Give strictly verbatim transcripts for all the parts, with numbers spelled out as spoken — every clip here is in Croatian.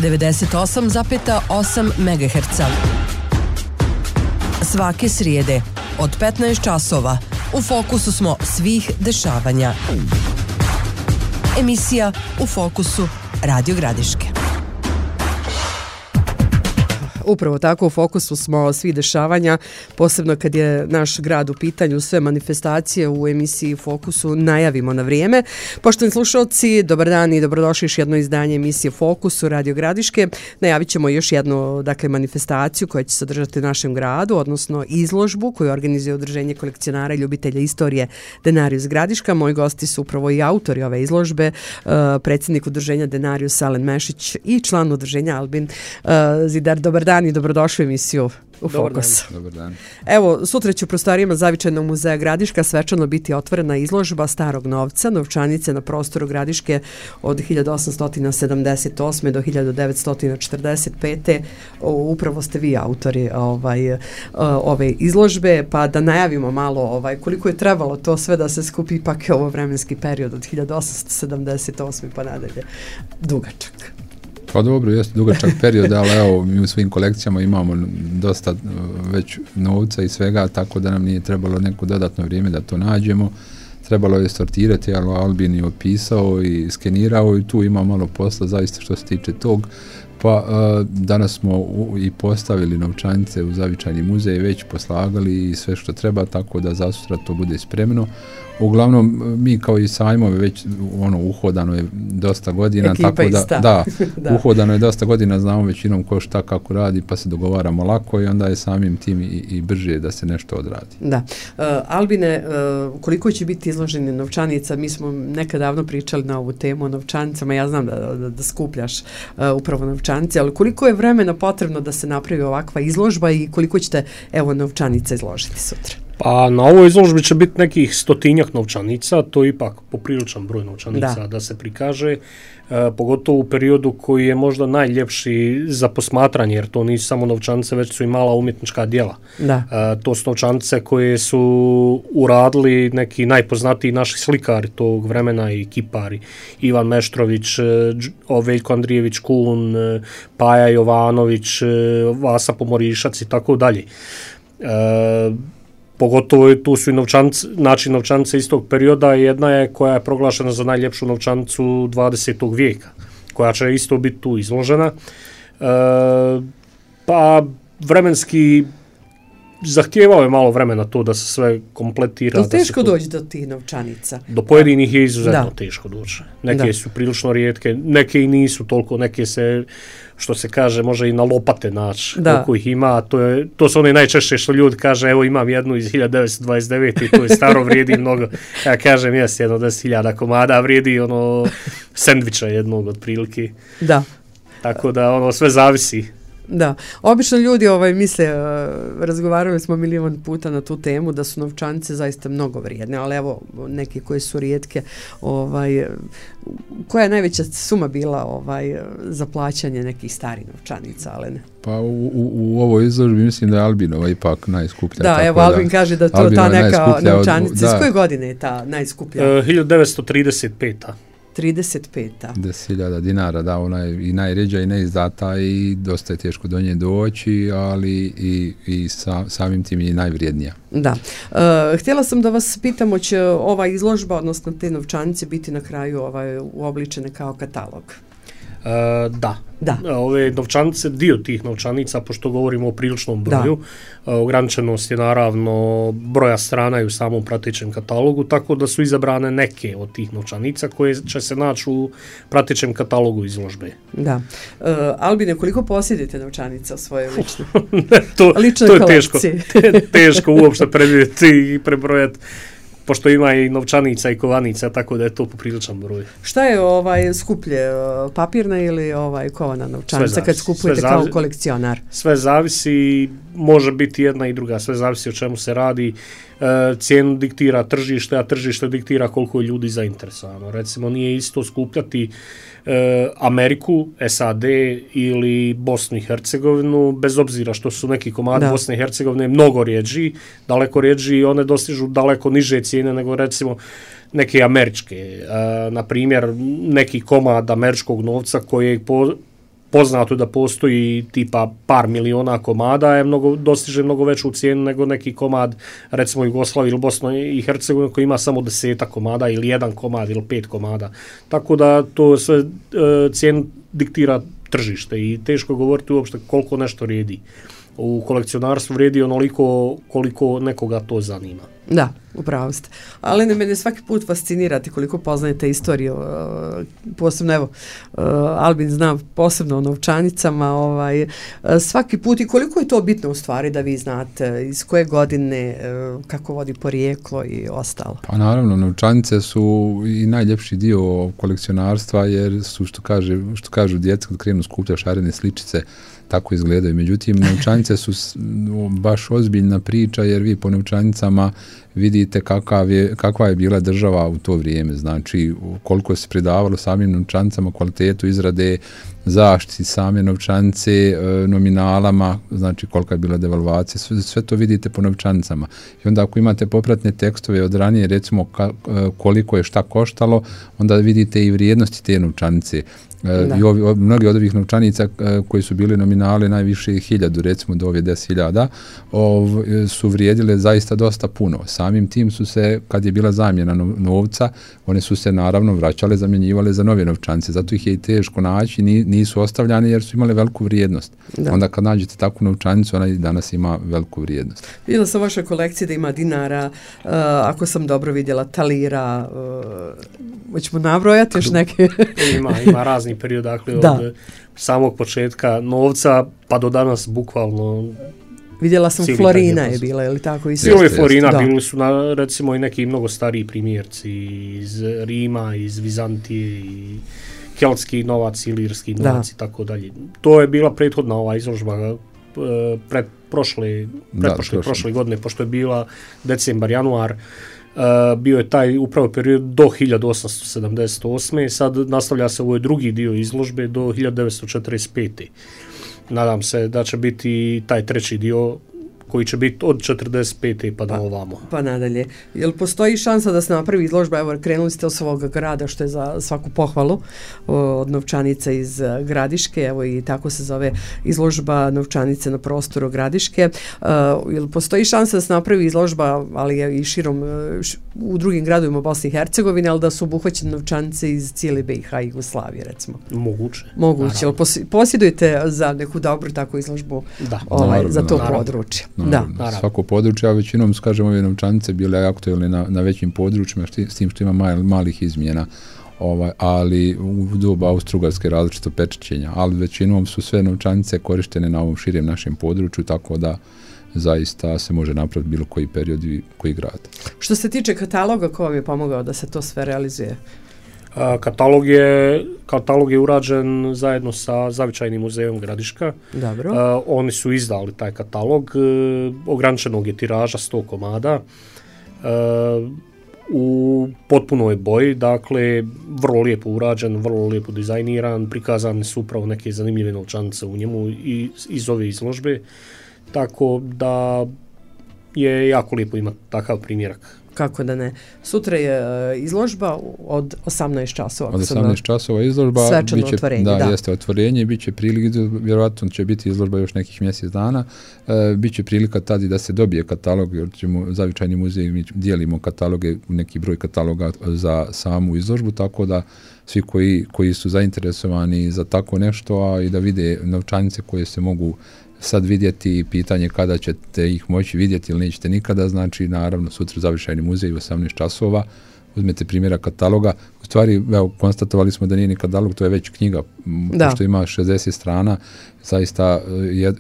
devedeset osam zarez osam megaherca. Svake srijede od petnaest časova u fokusu smo svih dešavanja. Emisija U fokusu Radio Gradiške. Upravo tako, u fokusu smo svi dešavanja, posebno kad je naš grad u pitanju, sve manifestacije u emisiji Fokusu najavimo na vrijeme. Poštovani slušalci, dobar dan i dobrodošli još jedno izdanje emisije Fokusu Radio Gradiške. Najavit ćemo još jednu dakle, manifestaciju koja će se održati u našem gradu, odnosno izložbu koju organizuje Udruženje kolekcionara i ljubitelja istorije Denarius Gradiška. Moji gosti su upravo i autori ove izložbe, predsjednik Udruženja Denarius Alen Mešić i član Udruženja Albin Zidar. Dobar dan i dobrodošli u emisiju U Fokus. Dobar dan. Evo, sutra će u prostorijama Zavičajnog muzeja Gradiška svečano biti otvorena izložba starog novca, novčanice na prostoru Gradiške od hiljadu osamsto sedamdeset osme do hiljadu devetsto četrdeset pete. Upravo ste vi autori ovaj, ove izložbe, pa da najavimo malo ovaj, koliko je trebalo to sve da se skupi, ipak je ovo vremenski period od hiljadu osamsto sedamdeset osme pa nadalje dugačak. Pa dobro, jeste dugačak period, ali evo, mi u svojim kolekcijama imamo dosta već novca i svega, tako da nam nije trebalo neko dodatno vrijeme da to nađemo. Trebalo je sortirati, ali Albin je opisao i skenirao i tu ima malo posla zaista što se tiče tog. Pa uh, danas smo u, i postavili novčanice u Zavičajni muzej, već poslagali i sve što treba, tako da za sutra to bude spremno. Uglavnom, mi kao i sajmove već ono, uhodano je dosta godina, ekipa tako da, da, da, uhodano je dosta godina, znamo većinom ko šta kako radi, pa se dogovaramo lako i onda je samim tim i, i brže da se nešto odradi. Da. Uh, Albine, uh, koliko će biti izloženi novčanica? Mi smo nekad davno pričali na ovu temu o novčanicama, ja znam da, da, da skupljaš uh, upravo novčanice, ali koliko je vremena potrebno da se napravi ovakva izložba i koliko ćete evo novčanica izložiti sutra? Pa na ovoj izložbi će biti nekih stotinjak novčanica, to je ipak popriličan broj novčanica da, da se prikaže, e, pogotovo u periodu koji je možda najljepši za posmatranje, jer to nisu samo novčanice, već su i mala umjetnička djela. Da. E, to su novčanice koje su uradili neki najpoznatiji naši slikari tog vremena i kipari. Ivan Meštrović, Veljko Andrijević Kun, Paja Jovanović, Vasa Pomorišac i tako dalje. E, Pogotovo tu su i novčanice, znači novčanice iz tog perioda, jedna je koja je proglašena za najljepšu novčanicu dvadesetog vijeka, koja će isto biti tu izložena. E, pa vremenski zahtijevao je malo vremena to da se sve kompletira. Je li teško to... doći do tih novčanica? Do pojedinih je izuzetno da. teško doći. Neke da. su prilično rijetke, neke i nisu toliko, neke se, što se kaže, može i na lopate naći koliko ih ima. To, je, to su one najčešće što ljudi kaže, evo imam jednu iz hiljadu devetsto dvadeset devete i to je staro, vrijedi mnogo. Ja kažem, jes jedno deset hiljada komada, vrijedi ono sendviča jednog otprilike. Da. Tako da ono sve zavisi. Da, obično ljudi ovaj misle, uh, razgovarali smo milion puta na tu temu da su novčanice zaista mnogo vrijedne, ali evo neke koje su rijetke, ovaj, koja je najveća suma bila ovaj, za plaćanje nekih starih novčanica, ali ne? Pa u, u, u ovoj izložbi mislim da je Albinova ipak najskuplja. Da, evo Albin da, kaže da to ta neka novčanica, od, s koje godine je ta najskuplja? Uh, hiljadu devetsto trideset peta. trideset peta. deset hiljada dinara, da, ona je i najređa i neizdata i dosta je teško do nje doći, ali i, i sa, samim tim je najvrijednija. Da. E, htjela sam da vas pitam, će ova izložba, odnosno te novčanice, biti na kraju ovaj, uobličene kao katalog? E, da. Da. Ove novčanice, dio tih novčanica, pošto govorimo o priličnom broju, da. Ograničenost je naravno broja strana i u samom pratećem katalogu, tako da su izabrane neke od tih novčanica koje će se naći u pratećem katalogu izložbe. Da. Uh, Albine, koliko posjedite novčanica u svojoj ličnoj to, ličnoj to je kolekciji? Teško, teško uopšte predvidjeti i prebrojati, pošto ima i novčanica i kovanica, tako da je to popriličan broj. Šta je ovaj skuplje, papirna ili ovaj kovana novčanica kad skupujete kao kolekcionar? Sve zavisi, može biti jedna i druga, sve zavisi o čemu se radi. E, cijenu diktira tržište, a tržište diktira koliko je ljudi zainteresovano. Recimo, nije isto skupljati e, Ameriku, S A D ili Bosnu i Hercegovinu, bez obzira što su neki komadi da. Bosne i Hercegovine mnogo rijeđi, daleko rijeđi i one dostižu daleko niže cijene nego recimo neke američke. E, na primjer, neki komad američkog novca koji po poznato da postoji tipa par miliona komada, je mnogo, dostiže mnogo veću cijenu nego neki komad, recimo Jugoslavije ili Bosno i Hercegovine koji ima samo desetak komada ili jedan komad ili pet komada. Tako da to sve e, cijenu diktira tržište i teško govoriti uopšte koliko nešto vrijedi. U kolekcionarstvu vrijedi onoliko koliko nekoga to zanima. Da, upravo ste. Ali ne, mene svaki put fascinirate koliko poznajete istoriju. Posebno, evo, Albin zna posebno o novčanicama. Ovaj, svaki put i koliko je to bitno u stvari da vi znate iz koje godine, kako vodi porijeklo i ostalo. Pa naravno, novčanice su i najljepši dio kolekcionarstva jer su, što, kaže, što kažu djeca kad krenu skupljati šarene sličice, tako izgledaju. Međutim, novčanice su baš ozbiljna priča jer vi po novčanicama vidite kakav je, kakva je bila država u to vrijeme. Znači, koliko se pridavalo samim novčanicama, kvalitetu izrade, zaštiti same novčanice, nominalama, znači kolika je bila devalvacija, sve, sve to vidite po novčanicama. I onda ako imate popratne tekstove od ranije, recimo ka, koliko je šta koštalo, onda vidite i vrijednosti te novčanice. Da. I ovi, mnogi od ovih novčanica koji su bili nominale najviše hiljadu, recimo do ove deset hiljada, su vrijedile zaista dosta puno. Samim tim su se, kad je bila zamjena novca, one su se naravno vraćale, zamjenjivale za nove novčanice. Zato ih je i teško naći, nisu ostavljane jer su imale veliku vrijednost. Da. Onda kad nađete takvu novčanicu, ona i danas ima veliku vrijednost. Vidjela sam vaše kolekcije da ima dinara, uh, ako sam dobro vidjela, talira, uh, hoćemo nabrojati još neke? ima, ima razni period, dakle, da. Od samog početka novca pa do danas bukvalno. Vidjela sam Florina je bila, je li tako? Bilo je Florina, bili su na, recimo i neki mnogo stariji primjerci iz Rima, iz Vizantije i keltski novac, ilirski novac i tako dalje. To je bila prethodna ova izložba pred prošle, pred prošle, prošle godine, pošto je bila decembar, januar, Uh, bio je taj upravo period do hiljadu osamsto sedamdeset osme. Sad nastavlja se ovaj drugi dio izložbe do hiljadu devetsto četrdeset pete. Nadam se da će biti taj treći dio koji će biti od četrdeset pete pa do ovamo. Pa nadalje. Jel postoji šansa da se napravi izložba? Evo, krenuli ste od svog grada, što je za svaku pohvalu, od novčanice iz Gradiške, evo i tako se zove izložba novčanice na prostoru Gradiške. Uh, jel postoji šansa da se napravi izložba, ali je i širom š, u drugim gradovima Bosne i Hercegovine, ali da su obuhvaćene novčanice iz cijele B i H i Jugoslavije, recimo? Moguće. Moguće. Jel posjedujete za neku dobru takvu izložbu da. Ovaj, naravno, za to naravno. područje? Da, svako područje, a većinom, kažemo, ove novčanice bile aktualne na, na većim područjima, šti, s tim što ima mal, malih izmjena, ovaj, ali u doba Austro-Ugarske različito pečaćenja, ali većinom su sve novčanice korištene na ovom širem našem području, tako da zaista se može napraviti bilo koji period i koji grad. Što se tiče kataloga, ko vam je pomogao da se to sve realizuje? Katalog je, katalog je urađen zajedno sa Zavičajnim muzejom Gradiška. Dobro. Uh, oni su izdali taj katalog, uh, ograničenog je tiraža sto komada, uh, u potpunoj boji, dakle vrlo lijepo urađen, vrlo lijepo dizajniran, prikazane su upravo neke zanimljive novčanice u njemu i iz ove izložbe, tako da je jako lijepo imati takav primjerak. Kako da ne. Sutra je uh, izložba od osamnaest časova. Od osamnaest časova izložba. Svečano biće, otvorenje, da. Da, jeste otvorenje, bit će prilika, vjerojatno će biti izložba još nekih mjesec dana, e, bit će prilika tada da se dobije katalog, jer ćemo Zavičajni muzej, mi dijelimo kataloge, neki broj kataloga za samu izložbu, tako da svi koji, koji su zainteresovani za tako nešto, a i da vide novčanice koje se mogu sad vidjeti i pitanje kada ćete ih moći vidjeti ili nećete nikada, znači naravno sutra Zavičajni muzej u osamnaest časova, uzmete primjera kataloga, u stvari evo, konstatovali smo da nije ni katalog, to je već knjiga, da. Pošto ima šezdeset strana, zaista je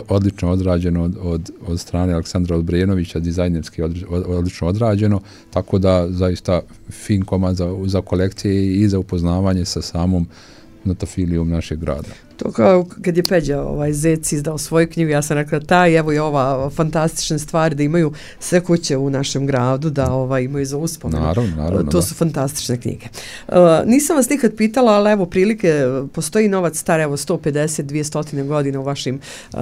odlično odrađeno od, od, od strane Aleksandra Odbrenovića, dizajnerski od, od, odlično odrađeno, tako da zaista fin komad za, za kolekcije i za upoznavanje sa samom notofilijom našeg grada. To kao kad je Peđa ovaj Zec izdao svoju knjigu, ja sam rekla taj, evo i ova fantastična stvar da imaju sve kuće u našem gradu, da ovaj imaju za uspomenu. Naravno, naravno. To da. su fantastične knjige. Uh, nisam vas nikad pitala, ali evo prilike, postoji novac star evo sto pedeset do dvjesto godina u vašim, uh,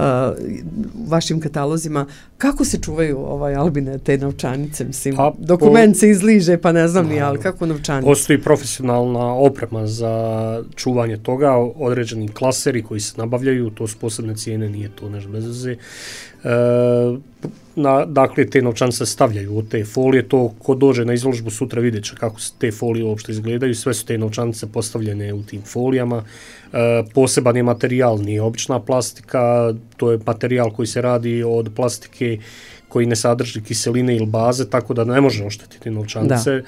vašim katalozima. Kako se čuvaju ovaj Albine te novčanice? Mislim, pa, dokument po... se izliže, pa ne znam ni, ali kako novčanice? Postoji profesionalna oprema za čuvanje toga, određeni klas klaseri koji se nabavljaju, to su posebne cijene, nije to nešto bez veze. E, na, dakle, te novčanice stavljaju od te folije, to ko dođe na izložbu sutra vidjet će kako te folije uopšte izgledaju, sve su te novčanice postavljene u tim folijama. E, poseban je materijal, nije obična plastika, to je materijal koji se radi od plastike koji ne sadrži kiseline ili baze, tako da ne može oštetiti novčanice. Da.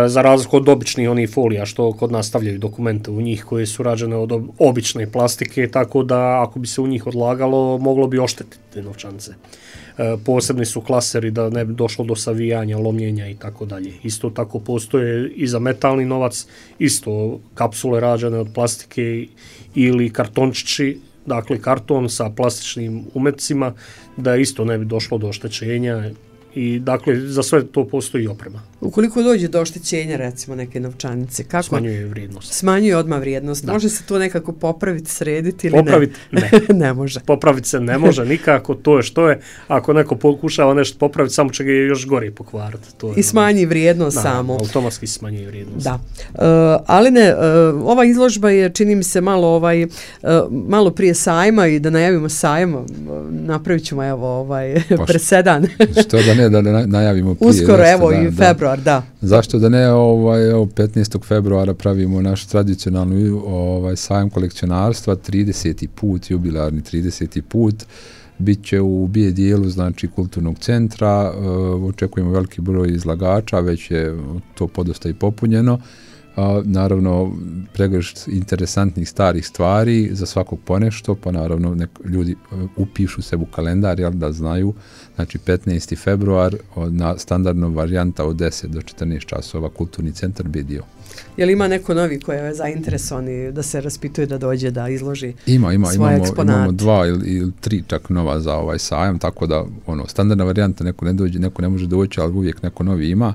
Za razliku od običnih onih folija što kod nas stavljaju dokumente u njih koje su rađene od obične plastike, tako da ako bi se u njih odlagalo moglo bi oštetiti novčanice. E, posebni su klaseri da ne bi došlo do savijanja, lomljenja i tako dalje. Isto tako postoje i za metalni novac, isto kapsule rađene od plastike ili kartončići, dakle karton sa plastičnim umetcima, da isto ne bi došlo do oštećenja. I dakle, za sve to postoji oprema. Ukoliko dođe do oštećenja, recimo, neke novčanice, kako? Smanjuje vrijednost. Smanjuje odmah vrijednost. Da. Može se to nekako popraviti, srediti ili popraviti, ne? ne. Ne može. Popraviti se ne može nikako, to je što je. Ako neko pokušava nešto popraviti, samo će ga još gore pokvariti. To je I smanji vrijednost da, samo. Automatski smanjuje vrijednost. Da. Uh, ali ne, uh, ova izložba je, čini mi se, malo, ovaj, uh, malo prije sajma i da najavimo sajma, uh, napravit ćemo evo, ovaj, presedan. Što da ne, da ne najavimo prije. Uskoro, evo, da, i februar, da. da. Zašto da ne, ovaj, evo, petnaestog februara pravimo naš tradicionalni ovaj, sajam kolekcionarstva, trideseti put, jubilarni trideseti put, bit će u B dijelu, znači kulturnog centra, uh, očekujemo veliki broj izlagača, već je to podosta i popunjeno. Uh, naravno, pregršt interesantnih starih stvari, za svakog ponešto, pa naravno nek ljudi uh, upišu se u kalendar, jel, da znaju, znači petnaesti februar, na standardna varijanta od deset do četrnaest časova, kulturni centar B dio. Je li ima neko novi koji je zainteresovani da se raspituje da dođe da izloži ima, ima, svoje imamo, eksponate? Imamo dva ili, ili tri čak nova za ovaj sajam, tako da ono, standardna varijanta neko ne dođe, neko ne može doći, ali uvijek neko novi ima.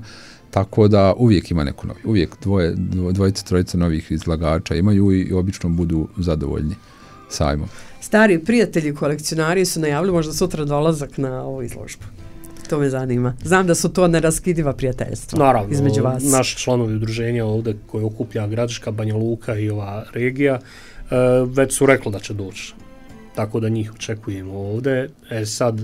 Tako da uvijek ima neko novi, uvijek dvoje, dvojica, trojica novih izlagača imaju i obično budu zadovoljni sajmom. Stari prijatelji kolekcionari su najavili možda sutra dolazak na ovu izložbu. To me zanima. Znam da su to neraskidiva prijateljstva. Naravno, između vas. Naši članovi udruženja ovdje koje okuplja Gradiška, Banja Luka i ova regija već su rekli da će doći. Tako da njih očekujemo ovdje. E sad,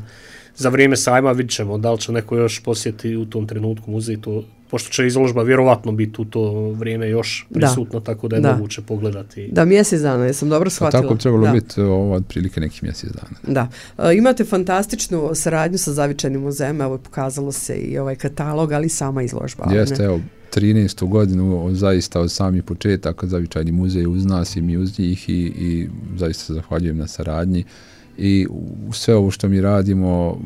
za vrijeme sajma vidjet ćemo da li će neko još posjeti u tom trenutku muzej, to, pošto će izložba vjerovatno biti u to vrijeme još prisutna, da. Tako da je da. moguće pogledati. Da, mjesec dana, jesam dobro shvatila. A tako trebalo biti ovo otprilike nekih mjesec dana. Da. E, imate fantastičnu saradnju sa Zavičajnim muzejem, evo pokazalo se i ovaj katalog, ali sama izložba. Jeste, evo, trinaestu godinu zaista od samih početaka Zavičajni muzej uz nas i mi uz njih i, i zaista se zahvaljujem na saradnji. I sve ovo što mi radimo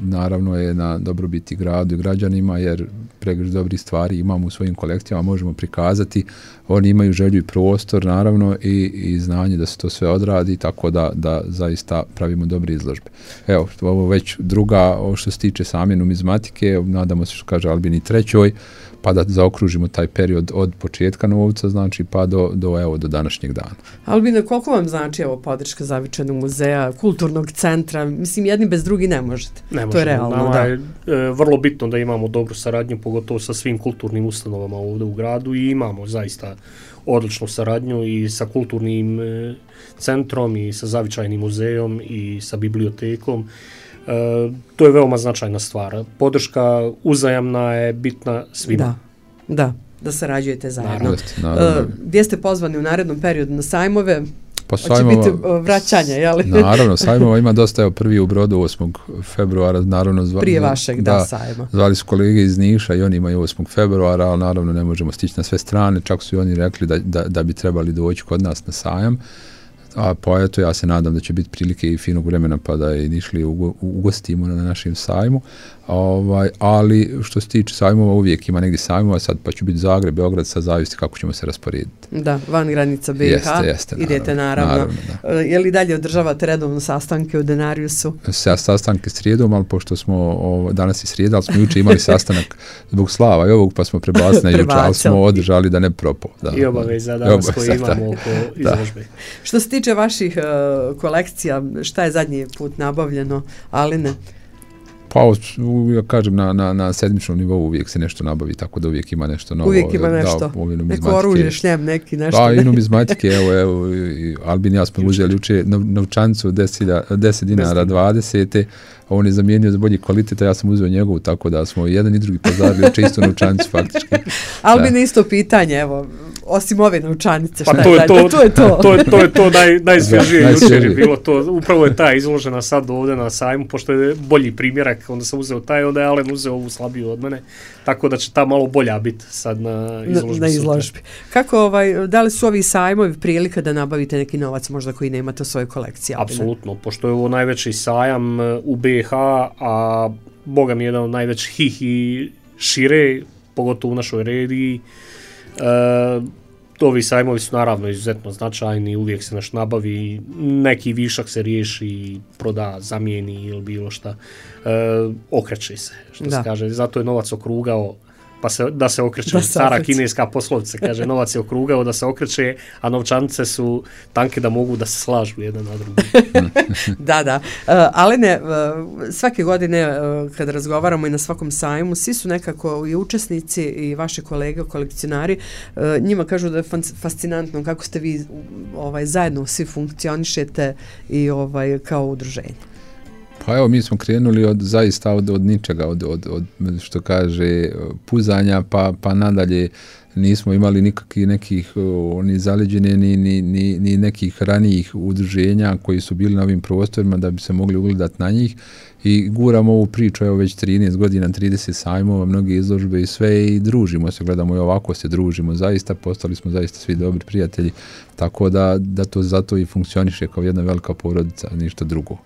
naravno je na dobrobiti gradu i građanima, jer pregršt dobrih stvari imamo u svojim kolekcijama, možemo prikazati, oni imaju želju i prostor naravno i, i znanje da se to sve odradi, tako da, da zaista pravimo dobre izložbe. Evo, ovo već druga, ovo što se tiče same numizmatike, nadamo se što kaže Albin i trećoj, pa da zaokružimo taj period od početka novca, znači pa do, do, evo, do današnjeg dana. Albina, koliko vam znači evo podrška Zavičajnog muzeja, kulturnog centra? Mislim, jedni bez drugi ne možete. Ne možemo. To je realno, Nama da. je e, vrlo bitno da imamo dobru saradnju, pogotovo sa svim kulturnim ustanovama ovdje u gradu i imamo zaista odličnu saradnju i sa kulturnim e, centrom i sa Zavičajnim muzejom i sa bibliotekom. E, to je veoma značajna stvar. Podrška uzajamna je bitna svima. Da, da, da sarađujete zajedno. Naravno, naravno. Uh, gdje ste pozvani u narednom periodu na sajmove? Pa Hoće biti vraćanje, jel? Naravno, sajmova ima dosta, evo prvi u Brodu osmog februara, naravno zva, prije vašeg, da, da sajma. Zvali su kolege iz Niša i oni imaju osmog februara, ali naravno ne možemo stići na sve strane, čak su i oni rekli da, da, da bi trebali doći kod nas na sajam. A pa eto, ja se nadam da će biti prilike i finog vremena pa da i nišli ugostimo na našem sajmu. Ovaj, ali što se tiče sajmova, uvijek ima negdje sajmova, sad pa će biti Zagreb, Beograd, sad zavisi kako ćemo se rasporediti. Da, van granica B i H, jeste, jeste, idete naravno. naravno da. Je li dalje održavate redovno sastanke u Denariusu? Sa sastanke srijedom, ali pošto smo ovo, danas i srijeda, ali smo juče imali sastanak zbog Slava i ovog, pa smo prebacili na juče, ali smo održali da ne propao. Da, I obaveza danas koji imamo oko izložbe. Što se tiče vaših uh, kolekcija, šta je zadnji put nabavljeno, ali ne? Pa, ja kažem, na, na, na sedmičnom nivou uvijek se nešto nabavi, tako da uvijek ima nešto novo. Uvijek ima nešto, da, neko oružje, šljem, neki nešto. Pa, i numizmatike, evo, evo, Albin i ja smo uzeli juče novčanicu deset dinara dvadeset, a on je zamijenio za bolji kvalitet, a ja sam uzeo njegovu, tako da smo jedan i drugi pozarili čisto novčanicu faktički. Albin, isto pitanje, evo, osim ove novčanice, šta pa to je, je to, to je to. to je to, je to naj, najsvježije jučer je bilo to. Upravo je ta izložena sad ovdje na sajmu, pošto je bolji primjerak, onda sam uzeo taj, onda je Alen uzeo ovu slabiju od mene, tako da će ta malo bolja biti sad na izložbi. Na, na izložbi. Kako, ovaj, da li su ovi sajmovi prilika da nabavite neki novac možda koji nemate u svojoj kolekciji? Apsolutno, pošto je ovo najveći sajam u B iH, a boga mi je jedan od najvećih i šire, pogotovo u našoj regiji. E, ovi sajmovi su naravno izuzetno značajni, uvijek se naš nabavi, neki višak se riješi, proda, zamijeni ili bilo šta, e, okreće se, što da. se kaže, zato je novac okrugao, pa se, da se okreće, da se stara okreće. Kineska poslovica, kaže, novac je okrugao da se okreće, a novčanice su tanke da mogu da se slažu jedan na drugi. Da, da. Uh, ali ne, uh, svake godine uh, kad razgovaramo i na svakom sajmu, svi su nekako i učesnici i vaše kolege, kolekcionari, uh, njima kažu da je fascinantno kako ste vi ovaj, zajedno svi funkcionišete i ovaj, kao udruženje. Pa evo, mi smo krenuli od zaista od, od ničega, od, od, od što kaže puzanja, pa, pa nadalje nismo imali nikakvih nekih ni zaleđene ni, ni, ni, ni nekih ranijih udruženja koji su bili na ovim prostorima da bi se mogli ugledati na njih i guramo ovu priču, evo već trinaest godina, trideset sajmova, mnoge izložbe i sve i družimo se, gledamo i ovako se družimo, zaista postali smo zaista svi dobri prijatelji, tako da, da to zato i funkcioniše kao jedna velika porodica, ništa drugo.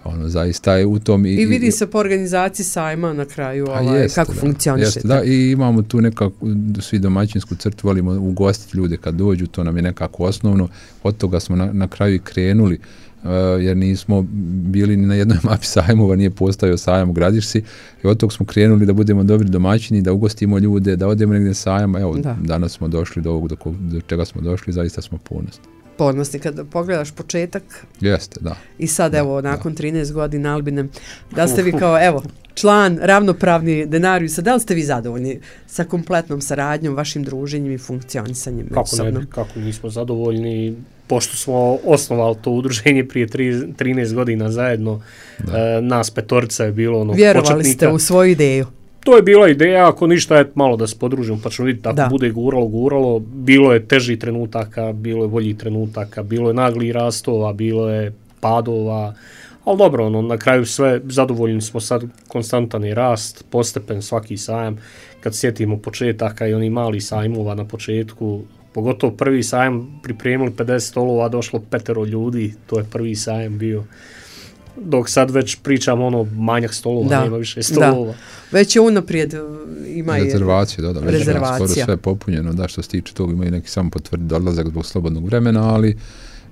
Ono, zaista je u tom... I, I vidi se po organizaciji sajma na kraju ovaj, jeste, kako funkcionišete. Da, i imamo tu nekako svi domaćinsku crtu, volimo ugostiti ljude kad dođu, to nam je nekako osnovno, od toga smo na, na kraju i krenuli, uh, jer nismo bili ni na jednoj mapi sajmova, nije postojao sajam u Gradišci, i od toga smo krenuli da budemo dobri domaćini, da ugostimo ljude, da odemo negdje sajam, evo, da. Danas smo došli do ovog, do, do čega smo došli, zaista smo ponosni. Ponosni kad pogledaš početak. Jeste, da. I sad, da, evo, nakon da. trinaest godina, Albine, da ste vi kao, evo, član, ravnopravni Denarijusa, da li ste vi zadovoljni sa kompletnom saradnjom, vašim druženjem i funkcionisanjem? Kako ne bi, kako nismo zadovoljni, pošto smo osnovali to udruženje prije trinaest godina zajedno, e, nas petorica je bilo ono vjerovali početnika. Vjerovali ste u svoju ideju. To je bila ideja, ako ništa je malo da se podružimo, pa ćemo vidjeti tako da. Bude guralo, guralo. Bilo je teži trenutaka, bilo je bolji trenutaka, bilo je nagli rastova, bilo je padova, ali dobro, ono, na kraju sve zadovoljni smo sad, konstantan je rast, postepen svaki sajam, kad sjetimo početaka i oni mali sajmova na početku, pogotovo prvi sajam pripremili pedeset stolova, došlo petero ljudi, to je prvi sajam bio. Dok sad već pričamo ono manjak stolova, da, nema više stolova. Da. Već je unaprijed ima rezervacije, da, da, već rezervacija. Skoro sve popunjeno, da, što se tiče toga imaju neki samo potvrdi dolazak zbog slobodnog vremena, ali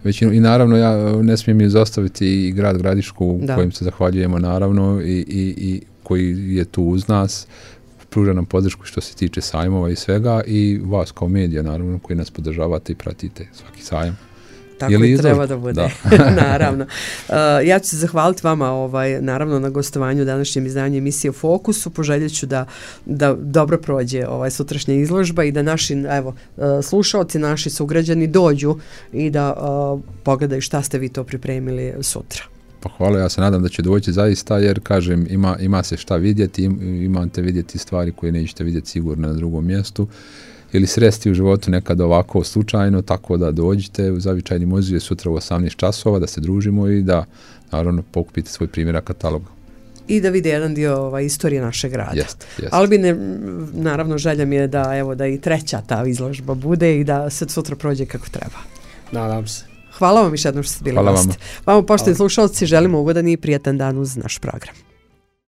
većinu, i naravno ja ne smijem izostaviti i grad Gradišku da. Kojim se zahvaljujemo naravno i, i, i koji je tu uz nas, pruža nam podršku što se tiče sajmova i svega i vas kao medija naravno koji nas podržavate i pratite svaki sajam. Tako i treba da bude, da. Naravno. Uh, ja ću se zahvaliti vama ovaj, naravno na gostovanju u današnjem izdanju emisije Fokusu. Poželjet ću da, da dobro prođe ovaj sutrašnja izložba i da naši evo, uh, slušalci, naši sugrađani dođu i da uh, pogledaju šta ste vi to pripremili sutra. Pa hvala, ja se nadam da će doći zaista jer kažem ima, ima se šta vidjeti, imate vidjeti stvari koje nećete vidjeti sigurno na drugom mjestu. Ili sresti u životu nekad ovako slučajno, tako da dođite u Zavičajni muzej sutra u osamnaest časova, da se družimo i da naravno pokupite svoj primjerak kataloga. I da vide jedan dio ovaj, istorije našeg grada. Jest, jest. Albine, naravno želja mi je da, evo, da i treća ta izložba bude i da se sutra prođe kako treba. Nadam se. Hvala vam još jednom što ste bili gosti. Vama, poštovani slušalci, želimo ugodan i prijatan dan uz naš program.